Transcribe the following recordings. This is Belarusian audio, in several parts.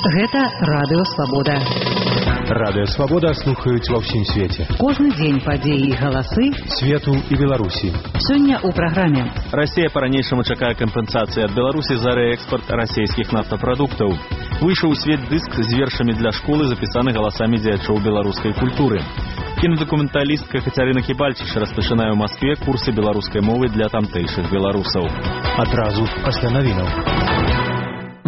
Гэта Радыё Свабода. Радыё Свабода слухаюць ва ўсім свеце. Кожны дзень падзеі і галасы свету і Беларусі. Сёння ў праграме. Расія па-ранейшаму чакае кампенсацыі ад Беларусі за рээкспарт расійскіх нафтапрадуктаў. Выйшаў у свет дыск з вершамі для школы, запісаны галасамі дзеячоў беларускай культуры. Кінадакументалістка Кацярына Кібальчыч распачынае ў Маскве курсы беларускай мовы для тамтэйшых беларусаў. Адразу пасля навінаў.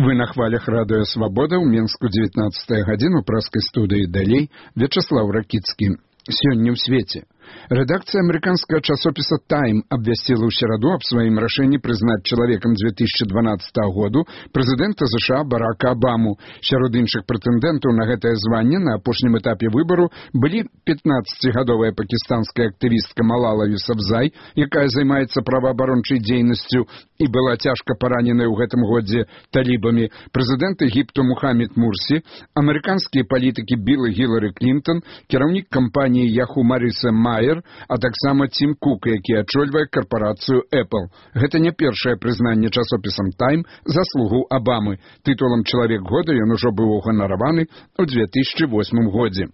Вы на хвалях Радыё Свабода ў Менску 19 гадзіну праскай студыі далей Вячаслаў Ракіцкі. Сёння ў свеце. Редакция американского часописа «Тайм» обвестила в середу об своем решении признать человеком 2012 года президента США Барака Обаму. Сярод іншых претендентов на гэтае звание на апошнім этапе выбору были 15-гадовая пакистанская активистка Малала Юсафзай, якая займаецца праваабарончай дзейнасцю и была тяжко поранена ў гэтым годзе талибами, президент Египту Мухаммед Мурси, американские политики Билл и Хиллари Клинтон, кіраўнік кампании Yahoo Мариса Майер, а таксама Тим Кук, які ачольвае карпарацыю Apple. Гэта не першае прызнанне часопісам «Тайм» заслугу Обамы. Тытулам «Чалавек года» ён ужо быў уганараваны ў 2008 годзе.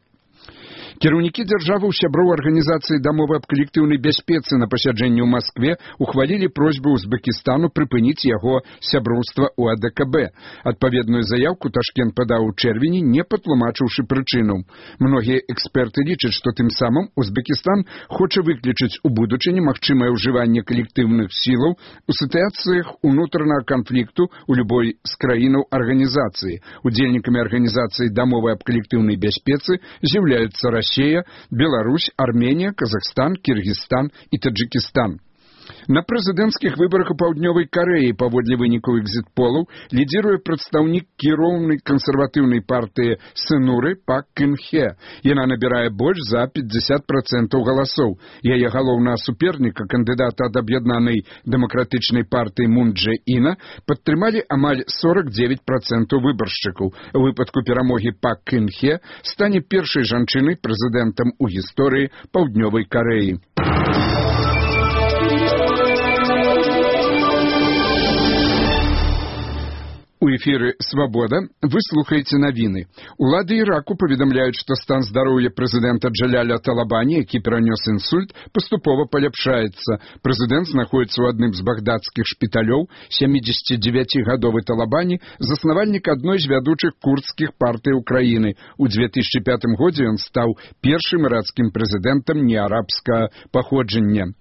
Кіраўнікі дзяржаваў сяброў арганізацыі дамовы аб калектыўнай бяспецы на пасяджэнні ў Маскве ухвалілі просьбу Узбекістану прыпыніць яго сяброўства ў АДКБ. Адпаведную заявку Ташкент падаў у чэрвені, не патлумачыўшы прычыну. Многія эксперты лічаць, што тым самым Узбекістан хоча выключыць у будучыні магчымае ўжыванне калектыўных сілаў у сітуацыях унутранага канфлікту ў любой з краінаў арганізацыі. Удзельнікамі арганізацыі дамовы аб калектыўнай бяспецы з'яўляюцца Россия, Беларусь, Армения, Казахстан, Киргизстан и Таджикистан. На прэзідэнцкіх выбарах у Паўднёвай Карэі паводле вынікаў экзіт-полаў лідзіруе прадстаўнік кіроўнай кансерватыўнай партыі Сынуры Пак Кын Хе. Яна набірае больш за 50% галасоў. Яе галоўнага суперніка, кандыдата ад аб'яднанай дэмакратычнай партыі Мун Дже Іна, падтрымалі амаль 49% выбаршчыкаў. У выпадку перамогі Пак Кын Хе стане першай жанчынай прэзідэнтам у гісторыі Паўднёвай Карэі. У эфіры «Свабода» вы слухаеце навіны. Улады Іраку паведамляюць, што стан здароўя прэзідэнта Джаляля Талабані, які перанёс інсульт, паступова паляпшаецца. Прэзідэнт знаходіцца ў адным з багдадскіх шпіталёў. 79-гадовы Талабані заснавальнік адной з вядучых курдскіх партый Украіны. У 2005 годзе ён стаў першым іракскім прэзідэнтам неарабскага паходжання.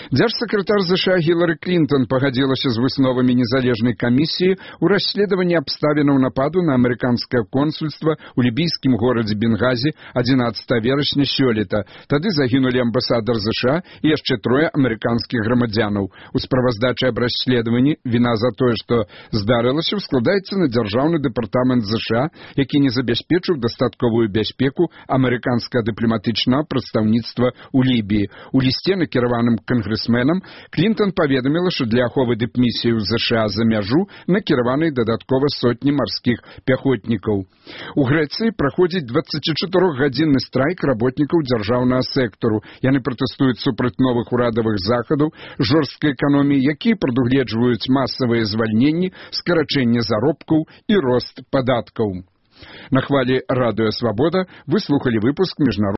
Дзяржсакратар США Хиллари Клинтон пагадзілася з высновамі незалежнай камісіі ў расследаванні абставінаў нападу на амерыканскае консульства ў лібійскім горадзе Бенгази 11 верасня сёлета. Тады загінулі амбасадар США і яшчэ трое амерыканскіх грамадзянаў. У справаздачы аб расследаванні віна за тое, што здарылася, складаецца на дзяржаўны дэпартамент США, які не забяспечыў дастатковую бяспеку амерыканскага дыпламатычнага прадстаўніцтва ў Лібіі. У лісце, накіраваным кангрэсменам, Клінтон паведаміла, што для аховы дыпмісіі ў США за мяжу накіраваны дадаткова сотні марскіх пяхотнікаў. У Грэцыі праходзіць 24-гадзінны страйк работнікаў дзяржаўнага сектару. Яны пратэстуюць супраць новых урадавых захадаў жорсткай эканоміі, якія прадугледжваюць масавыя звальненні, скарачэнне заробкаў і рост падаткаў. На хвалі Радыё Свабода вы слухалі выпуск міжнароднага